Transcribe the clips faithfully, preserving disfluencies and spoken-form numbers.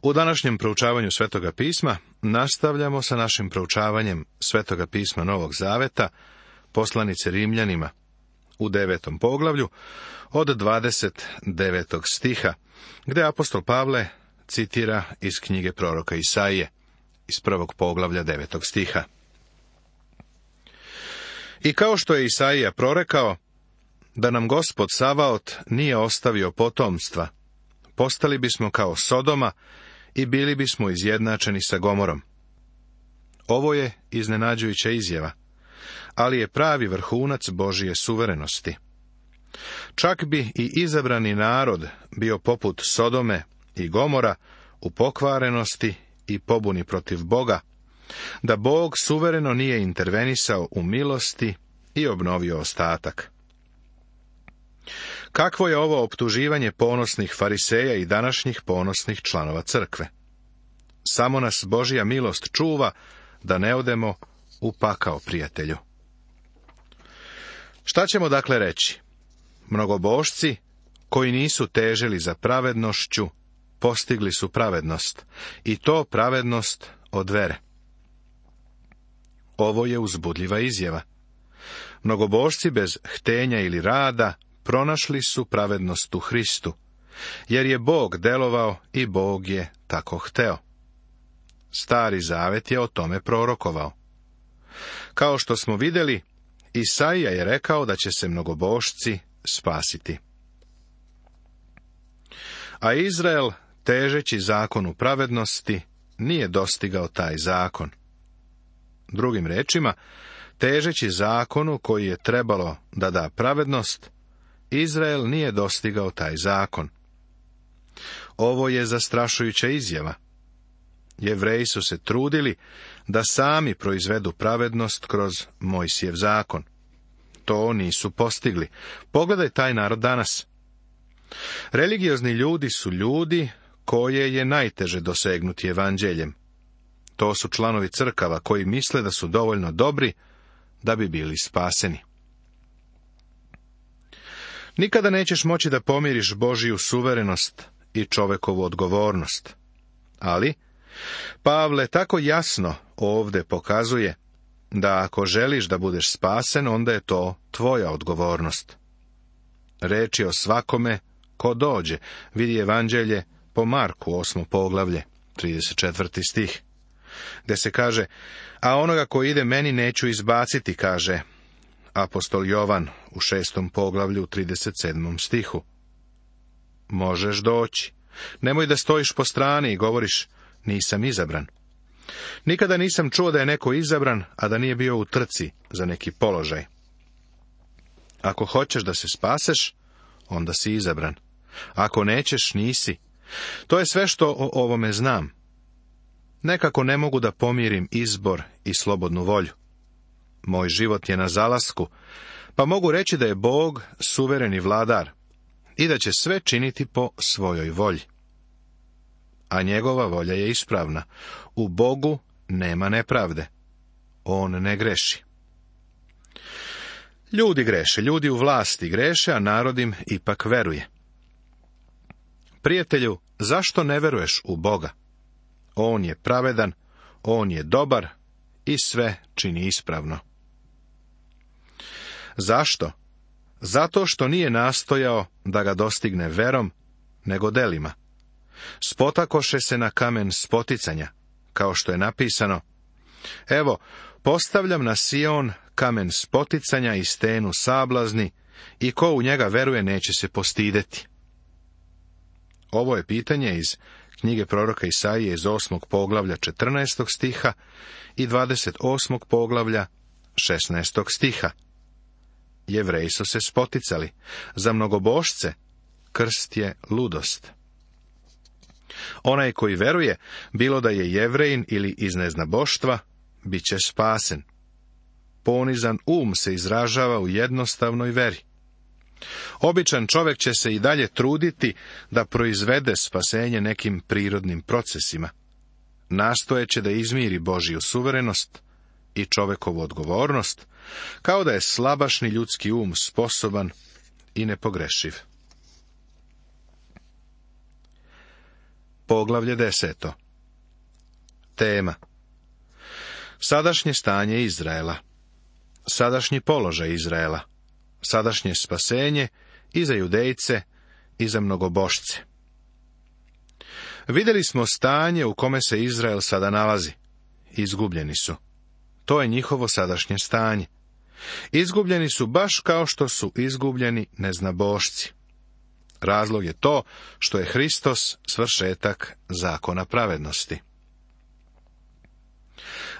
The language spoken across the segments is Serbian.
U današnjem proučavanju Svetoga pisma nastavljamo sa našim proučavanjem Svetoga pisma Novog Zaveta, poslanice Rimljanima, u devetom poglavlju, od dvadeset devetog stiha, gdje apostol Pavle citira iz knjige proroka Isaije, iz prvog poglavlja devetog stiha. I kao što je Isaija prorekao, da nam Gospod Savaot nije ostavio potomstva, postali bismo kao Sodoma i bili bismo izjednačeni sa Gomorom. Ovo je iznenađujuća izjava, ali je pravi vrhunac Božije suverenosti. Čak bi i izabrani narod bio poput Sodome i Gomora u pokvarenosti i pobuni protiv Boga, da Bog suvereno nije intervenisao u milosti i obnovio ostatak. Kakvo je ovo optuživanje ponosnih fariseja i današnjih ponosnih članova crkve? Samo nas Božja milost čuva da ne odemo u pakao, prijatelju. Šta ćemo dakle reći? Mnogobožci, koji nisu težili za pravednošću, postigli su pravednost, i to pravednost od vere. Ovo je uzbudljiva izjava. Mnogobožci bez htenja ili rada pronašli su pravednost u Hristu, jer je Bog delovao i Bog je tako hteo. Stari Zavet je o tome prorokovao. Kao što smo vidjeli, Isaija je rekao da će se mnogobožci spasiti. A Izrael, težeći zakonu pravednosti, nije dostigao taj zakon. Drugim rečima, težeći zakonu koji je trebalo da da pravednost, Izrael nije dostigao taj zakon. Ovo je zastrašujuća izjava. Jevreji su se trudili da sami proizvedu pravednost kroz Mojsijev zakon. To nisu postigli. Pogledaj taj narod danas. Religiozni ljudi su ljudi koje je najteže dosegnuti evanđeljem. To su članovi crkava koji misle da su dovoljno dobri da bi bili spaseni. Nikada nećeš moći da pomiriš Božiju suverenost i čovekovu odgovornost. Ali Pavle tako jasno ovdje pokazuje da ako želiš da budeš spasen, onda je to tvoja odgovornost. Reč je o svakome ko dođe, vidi evanđelje po Marku, osmo poglavlje, trideset četvrti stih, gdje se kaže, a onoga ko ide meni neću izbaciti, kaže apostol Jovan u šestom poglavlju, trideset sedmom stihu. Možeš doći. Nemoj da stojiš po strani i govoriš, nisam izabran. Nikada nisam čuo da je neko izabran, a da nije bio u trci za neki položaj. Ako hoćeš da se spaseš, onda si izabran. Ako nećeš, nisi. To je sve što o ovome znam. Nekako ne mogu da pomirim izbor i slobodnu volju. Moj život je na zalasku, pa mogu reći da je Bog suvereni vladar i da će sve činiti po svojoj volji. A njegova volja je ispravna. U Bogu nema nepravde. On ne greši. Ljudi greše, ljudi u vlasti greše, a narod im ipak veruje. Prijatelju, zašto ne veruješ u Boga? On je pravedan, on je dobar i sve čini ispravno. Zašto? Zato što nije nastojao da ga dostigne verom, nego delima. Spotakoše se na kamen spoticanja, kao što je napisano, evo, postavljam na Sion kamen spoticanja i stenu sablazni, i ko u njega veruje neće se postideti. Ovo je pitanje iz knjige proroka Isaije iz osmog poglavlja četrnaestog stiha i dvadeset osmog poglavlja šesnaestog stiha. Jevreji su se spoticali. Za mnogobožce krst je ludost. Onaj koji veruje, bilo da je Jevrejin ili iz neznaboštva, bit će spasen. Ponizan um se izražava u jednostavnoj veri. Običan čovjek će se i dalje truditi da proizvede spasenje nekim prirodnim procesima. Nastojeće da izmiri Božju suverenost i čovekovu odgovornost, kao da je slabašni ljudski um sposoban i nepogrešiv. Poglavlje deseto. Tema: sadašnje stanje Izraela, sadašnji položaj Izraela, sadašnje spasenje i za Judejce i za mnogobošce. Vidjeli smo stanje u kome se Izrael sada nalazi. Izgubljeni su. To je njihovo sadašnje stanje. Izgubljeni su baš kao što su izgubljeni neznabošci. Razlog je to što je Hristos svršetak zakona pravednosti.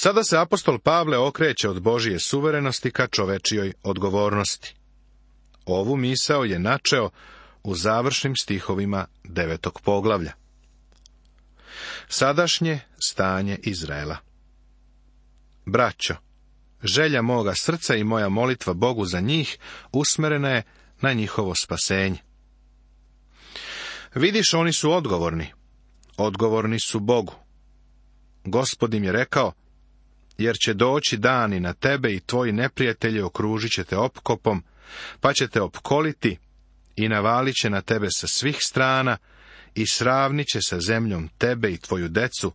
Sada se apostol Pavle okreće od Božije suverenosti ka čovečijoj odgovornosti. Ovu misao je načeo u završnim stihovima devetog poglavlja. Sadašnje stanje Izraela. Braćo, želja moga srca i moja molitva Bogu za njih usmerena je na njihovo spasenje. Vidiš, oni su odgovorni. Odgovorni su Bogu. Gospod im je rekao: jer će doći dani na tebe i tvoji neprijatelji okružit će te opkopom, pa će te opkoliti i navalit će na tebe sa svih strana i sravnit će sa zemljom tebe i tvoju decu,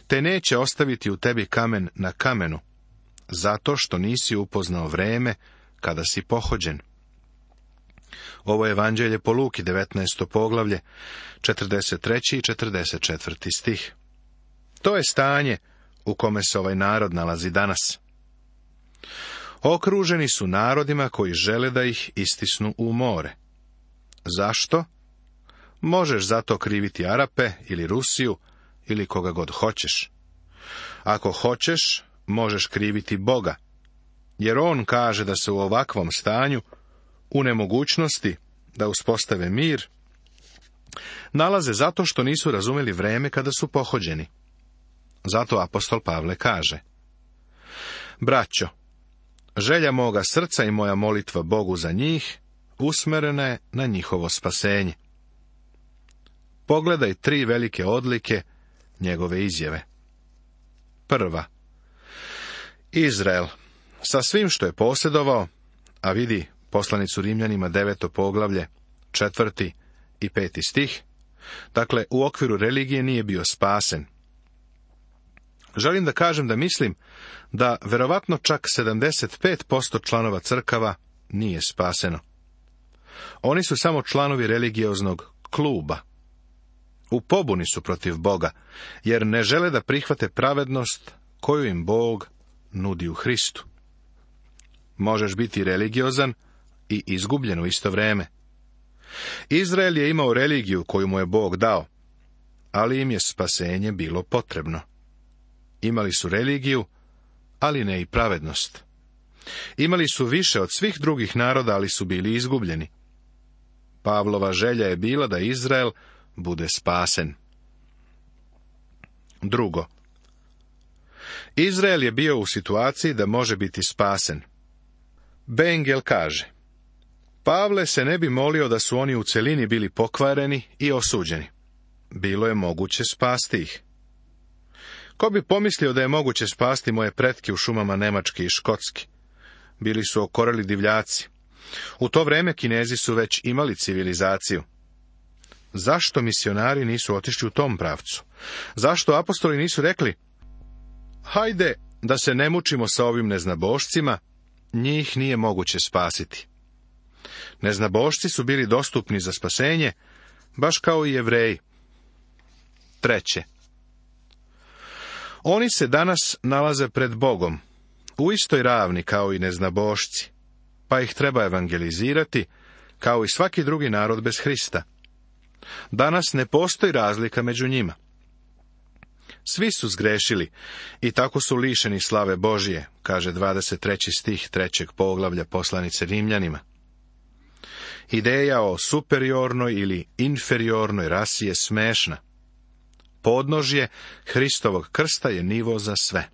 te neće ostaviti u tebi kamen na kamenu, zato što nisi upoznao vreme kada si pohođen. Ovo je Evanđelje po Luki, devetnaesto poglavlje, četrdeset treći i četrdeset četvrti stih. To je stanje u kome se ovaj narod nalazi danas. Okruženi su narodima koji žele da ih istisnu u more. Zašto? Možeš zato kriviti Arape ili Rusiju ili koga god hoćeš. Ako hoćeš, možeš kriviti Boga, jer on kaže da se u ovakvom stanju, u nemogućnosti da uspostave mir, nalaze zato što nisu razumeli vreme kada su pohođeni. Zato apostol Pavle kaže: braćo, želja moga srca i moja molitva Bogu za njih usmerena je na njihovo spasenje. Pogledaj tri velike odlike njegove izjave. Prva. Izrael, sa svim što je posjedovao, a vidi poslanicu Rimljanima deveto poglavlje, četvrti i peti stih, dakle, u okviru religije nije bio spasen. Želim da kažem da mislim da verovatno čak sedamdeset pet posto članova crkava nije spaseno. Oni su samo članovi religioznog kluba. U pobuni su protiv Boga, jer ne žele da prihvate pravednost koju im Bog nudi u Hristu. Možeš biti religiozan i izgubljen u isto vrijeme. Izrael je imao religiju koju mu je Bog dao, ali im je spasenje bilo potrebno. Imali su religiju, ali ne i pravednost. Imali su više od svih drugih naroda, ali su bili izgubljeni. Pavlova želja je bila da Izrael bude spasen. Drugo. Izrael je bio u situaciji da može biti spasen. Bengel kaže: Pavle se ne bi molio da su oni u celini bili pokvareni i osuđeni. Bilo je moguće spasti ih. Ko bi pomislio da je moguće spasti moje pretke u šumama Nemačke i Škotske? Bili su okoreli divljaci. U to vrijeme Kinezi su već imali civilizaciju. Zašto misionari nisu otišli u tom pravcu? Zašto apostoli nisu rekli: hajde da se ne mučimo sa ovim neznabošcima, njih nije moguće spasiti. Neznabošci su bili dostupni za spasenje, baš kao i Jevreji. Treće. Oni se danas nalaze pred Bogom, u istoj ravni kao i neznabošci, pa ih treba evangelizirati, kao i svaki drugi narod bez Hrista. Danas ne postoji razlika među njima. Svi su zgrešili i tako su lišeni slave Božije, kaže dvadeset treći stih trećeg poglavlja poslanice Rimljanima. Ideja o superiornoj ili inferiornoj rasi je smešna. Podnožje Hristovog krsta je nivo za sve.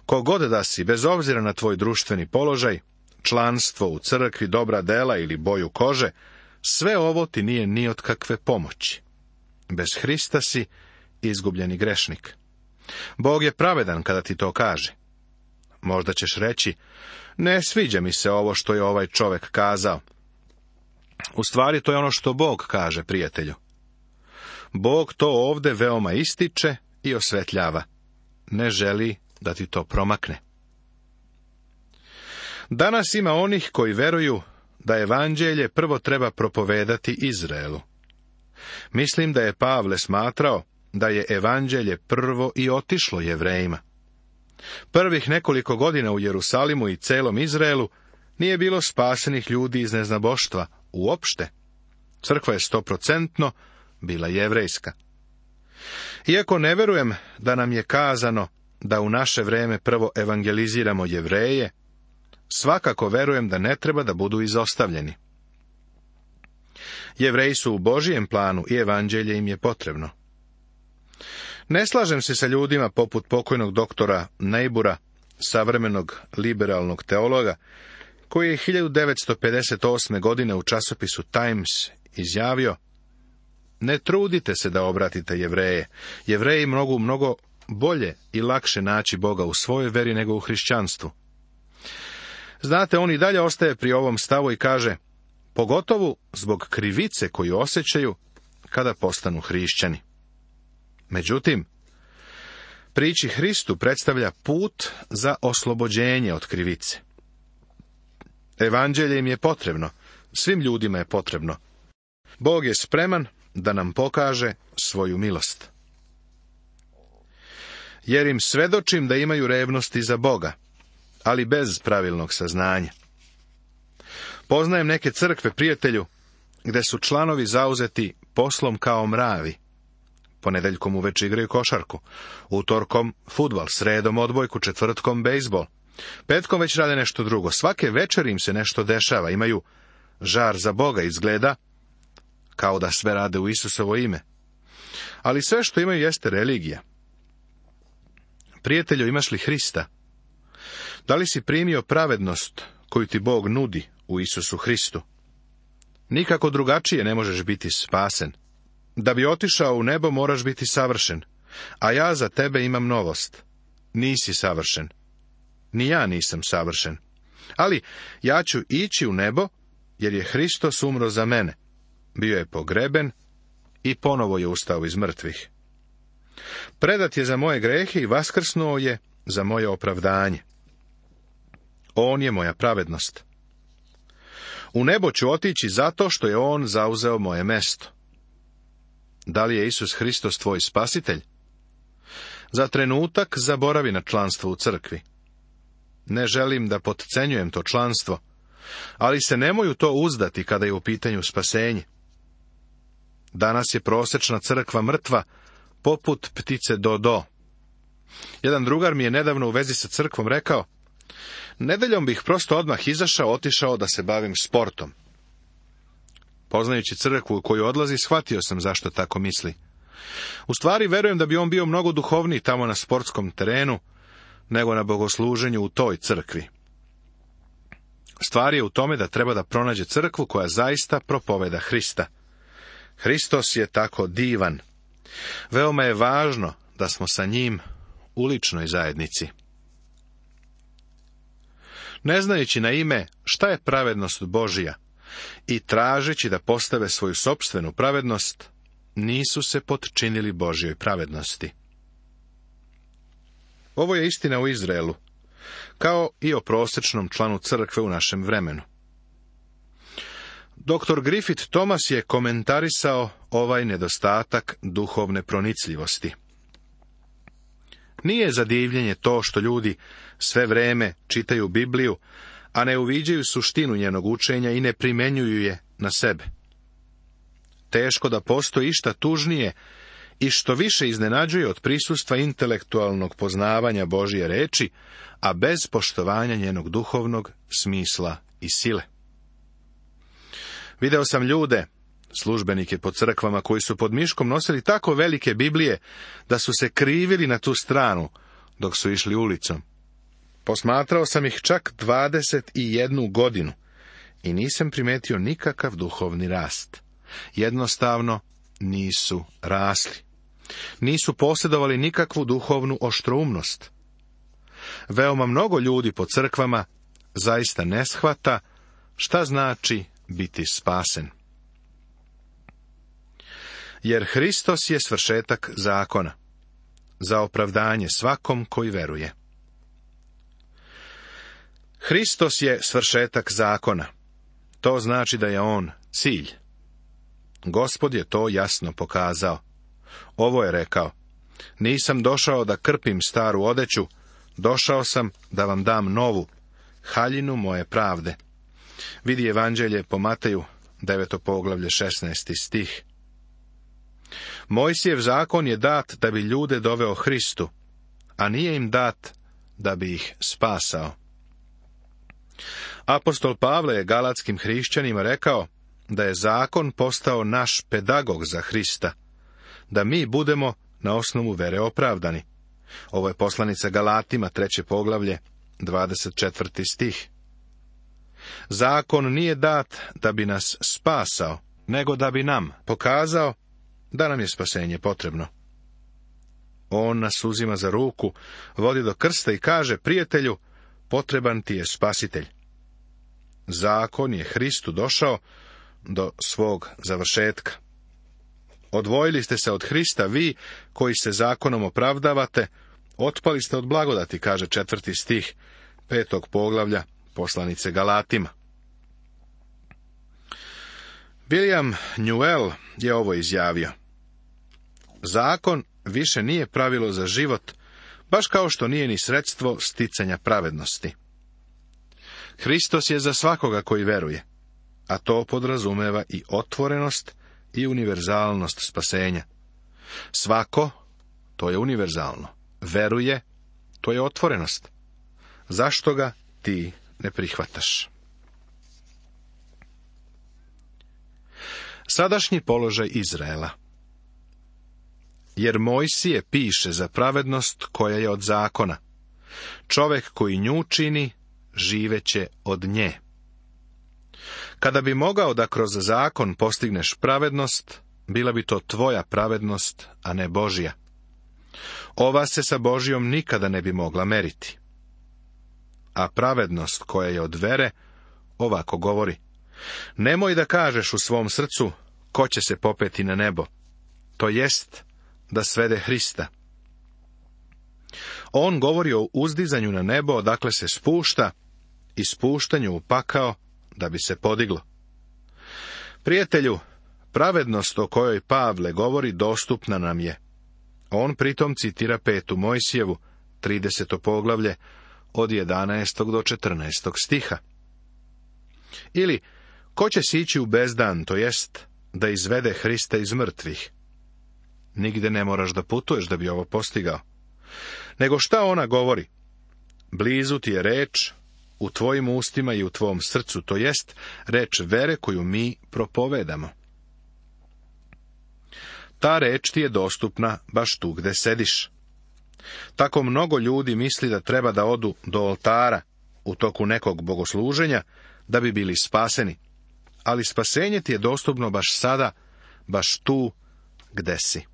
Kogod da si, bez obzira na tvoj društveni položaj, članstvo u crkvi, dobra dela ili boju kože, sve ovo ti nije ni od kakve pomoći. Bez Hrista si izgubljeni grešnik. Bog je pravedan kada ti to kaže. Možda ćeš reći: ne sviđa mi se ovo što je ovaj čovjek kazao. U stvari to je ono što Bog kaže, prijatelju. Bog to ovde veoma ističe i osvetljava. Ne želi da ti to promakne. Danas ima onih koji veruju da evanđelje prvo treba propovedati Izraelu. Mislim da je Pavle smatrao da je evanđelje prvo i otišlo Jevrejima. Prvih nekoliko godina u Jerusalimu i celom Izraelu nije bilo spasenih ljudi iz neznaboštva uopšte. Crkva je stoprocentno bila jevrejska. Iako ne verujem da nam je kazano da u naše vreme prvo evangeliziramo Jevreje, svakako verujem da ne treba da budu izostavljeni. Jevreji su u Božijem planu i evanđelje im je potrebno. Ne slažem se sa ljudima poput pokojnog doktora Neibura, savremenog liberalnog teologa, koji je hiljadu devetsto pedeset osme. godine u časopisu Times izjavio: ne trudite se da obratite Jevreje. Jevreji mogu mnogo bolje i lakše naći Boga u svojoj veri nego u hrišćanstvu. Znate, on i dalje ostaje pri ovom stavu i kaže: pogotovo zbog krivice koju osjećaju kada postanu hrišćani. Međutim, prići Hristu predstavlja put za oslobođenje od krivice. Evanđelje im je potrebno, svim ljudima je potrebno. Bog je spreman da nam pokaže svoju milost. Jer im svedočim da imaju revnosti za Boga, ali bez pravilnog saznanja. Poznajem neke crkve, prijatelju, gde su članovi zauzeti poslom kao mravi. Ponedeljkom uveče igraju košarku, utorkom fudbal, sredom odbojku, četvrtkom bejzbol. Petkom već rade nešto drugo. Svake večer im se nešto dešava, imaju žar za Boga, izgleda kao da sve rade u Isusovo ime. Ali sve što imaju jeste religija. Prijatelju, imaš li Hrista? Da li si primio pravednost koju ti Bog nudi u Isusu Hristu? Nikako drugačije ne možeš biti spasen. Da bi otišao u nebo moraš biti savršen, a ja za tebe imam novost. Nisi savršen. Ni ja nisam savršen. Ali ja ću ići u nebo, jer je Hristos umro za mene. Bio je pogreben i ponovo je ustao iz mrtvih. Predat je za moje grehe i vaskrsnuo je za moje opravdanje. On je moja pravednost. U nebo ću otići zato što je on zauzeo moje mesto. Da li je Isus Hristos tvoj spasitelj? Za trenutak zaboravi na članstvo u crkvi. Ne želim da potcenjujem to članstvo, ali se nemoj u to uzdati kada je u pitanju spasenje. Danas je prosečna crkva mrtva, poput ptice Dodo. Jedan drugar mi je nedavno u vezi sa crkvom rekao: nedeljom bih prosto odmah izašao, otišao da se bavim sportom. Poznajući crkvu u koju odlazi, shvatio sam zašto tako misli. U stvari, verujem da bi on bio mnogo duhovniji tamo na sportskom terenu, nego na bogosluženju u toj crkvi. Stvar je u tome da treba da pronađe crkvu koja zaista propoveda Hrista. Hristos je tako divan. Veoma je važno da smo sa njim u ličnoj zajednici. Ne znajući na ime šta je pravednost Božija i tražeći da postave svoju sopstvenu pravednost, nisu se potčinili Božjoj pravednosti. Ovo je istina u Izraelu, kao i o prosečnom članu crkve u našem vremenu. Doktor Griffith Thomas je komentarisao ovaj nedostatak duhovne pronicljivosti. Nije za divljenje to što ljudi sve vreme čitaju Bibliju, a ne uviđaju suštinu njenog učenja i ne primenjuju je na sebe. Teško da postoji išta tužnije i što više iznenađuje od prisustva intelektualnog poznavanja Božje reči, a bez poštovanja njenog duhovnog smisla i sile. Video sam ljude, službenike po crkvama, koji su pod miškom nosili tako velike Biblije da su se krivili na tu stranu dok su išli ulicom. Posmatrao sam ih čak dvadeset jednu godinu i nisam primetio nikakav duhovni rast. Jednostavno nisu rasli. Nisu posjedovali nikakvu duhovnu oštroumnost. Veoma mnogo ljudi po crkvama zaista ne shvata šta znači biti spasen. jer Hristos je svršetak zakona, za opravdanje svakom koji veruje. Hristos je svršetak zakona. To znači da je on cilj. Gospod je to jasno pokazao. Ovo je rekao: nisam došao da krpim staru odeću, došao sam da vam dam novu, haljinu moje pravde. Vidi Evanđelje po Mateju, deveto poglavlje, šesnaesti stih. Mojsijev zakon je dat da bi ljude doveo Hristu, a nije im dat da bi ih spasao. Apostol Pavle je galatskim hrišćanima rekao da je zakon postao naš pedagog za Hrista, da mi budemo na osnovu vere opravdani. Ovo je poslanica Galatima, treće poglavlje, dvadeset četvrti stih. Zakon nije dat da bi nas spasao, nego da bi nam pokazao da nam je spasenje potrebno. On nas uzima za ruku, vodi do krsta i kaže: prijatelju, potreban ti je spasitelj. Zakon je Hristu došao do svog završetka. Odvojili ste se od Hrista vi, koji se zakonom opravdavate, otpali ste od blagodati, kaže četvrti stih petog poglavlja poslanice Galatima. William Newell je ovo izjavio: zakon više nije pravilo za život, baš kao što nije ni sredstvo sticanja pravednosti. Hristos je za svakoga koji veruje, a to podrazumeva i otvorenost i univerzalnost spasenja. Svako, to je univerzalno. Veruje, to je otvorenost. Zašto ga ti ne prihvataš? Sadašnji položaj Izraela. Jer Mojsije piše za pravednost koja je od zakona. Čovek koji nju čini, živeće od nje. Kada bi mogao da kroz zakon postigneš pravednost, bila bi to tvoja pravednost, a ne Božja. Ova se sa Božjom nikada ne bi mogla meriti. A pravednost koja je od vere ovako govori: nemoj da kažeš u svom srcu ko će se popeti na nebo, to jest da svede Hrista. On govori o uzdizanju na nebo odakle se spušta i spuštanju u pakao da bi se podiglo. Prijatelju, pravednost o kojoj Pavle govori dostupna nam je. On pritom citira petu Mojsijevu, trideseto poglavlje, od jedanaestog do četrnaestog stiha. Ili, ko će sići u bezdan, to jest da izvede Hrista iz mrtvih? Nigde ne moraš da putuješ da bi ovo postigao. Nego šta ona govori? Blizu ti je reč, u tvojim ustima i u tvom srcu, to jest reč vere koju mi propovedamo. Ta reč ti je dostupna baš tu gde sediš. Tako mnogo ljudi misli da treba da odu do oltara u toku nekog bogosluženja da bi bili spaseni. Ali spasenje ti je dostupno baš sada, baš tu gde si.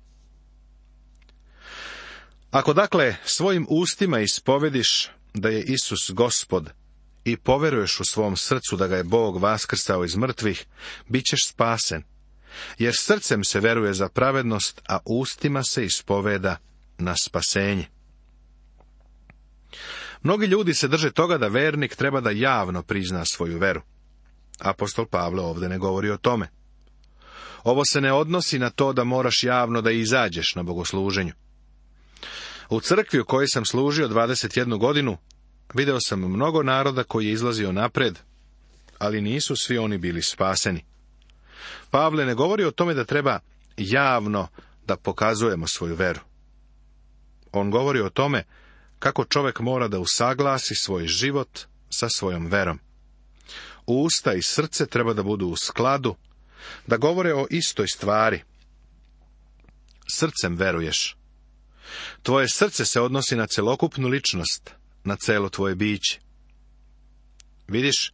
Ako dakle svojim ustima ispovediš da je Isus Gospod i poveruješ u svom srcu da ga je Bog vaskrsao iz mrtvih, bit ćeš spasen. Jer srcem se veruje za pravednost, a ustima se ispoveda na spasenje. Mnogi ljudi se drže toga da vernik treba da javno prizna svoju veru. Apostol Pavle ovdje ne govori o tome. Ovo se ne odnosi na to da moraš javno da izađeš na bogosluženju. U crkvi u kojoj sam služio dvadeset jednu godinu, video sam mnogo naroda koji je izlazio napred, ali nisu svi oni bili spaseni. Pavle ne govori o tome da treba javno da pokazujemo svoju veru. On govori o tome kako čovjek mora da usaglasi svoj život sa svojom verom. Usta i srce treba da budu u skladu, da govore o istoj stvari. Srcem veruješ. Tvoje srce se odnosi na celokupnu ličnost, na celo tvoje biće. Vidiš,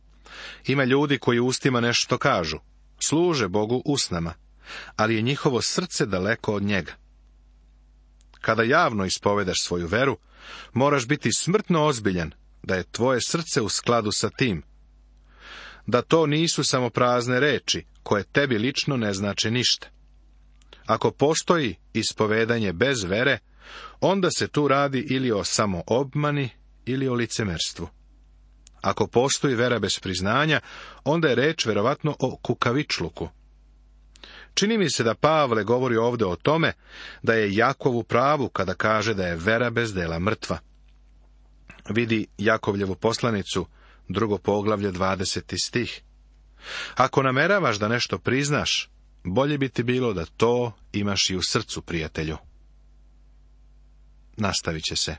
ima ljudi koji ustima nešto kažu, služe Bogu usnama, ali je njihovo srce daleko od njega. Kada javno ispovedaš svoju veru, moraš biti smrtno ozbiljan da je tvoje srce u skladu sa tim. Da to nisu samo prazne reči, koje tebi lično ne znače ništa. Ako postoji ispovedanje bez vere, onda se tu radi ili o samoobmani ili o licemerstvu. Ako postoji vera bez priznanja, onda je reč verovatno o kukavičluku. Čini mi se da Pavle govori ovdje o tome da je Jakov u pravu kada kaže da je vera bez dela mrtva. Vidi Jakovljevu poslanicu, drugo poglavlje, dvadeseti stih. Ako nameravaš da nešto priznaš, bolje bi ti bilo da to imaš i u srcu, prijatelju. Nastavit će se.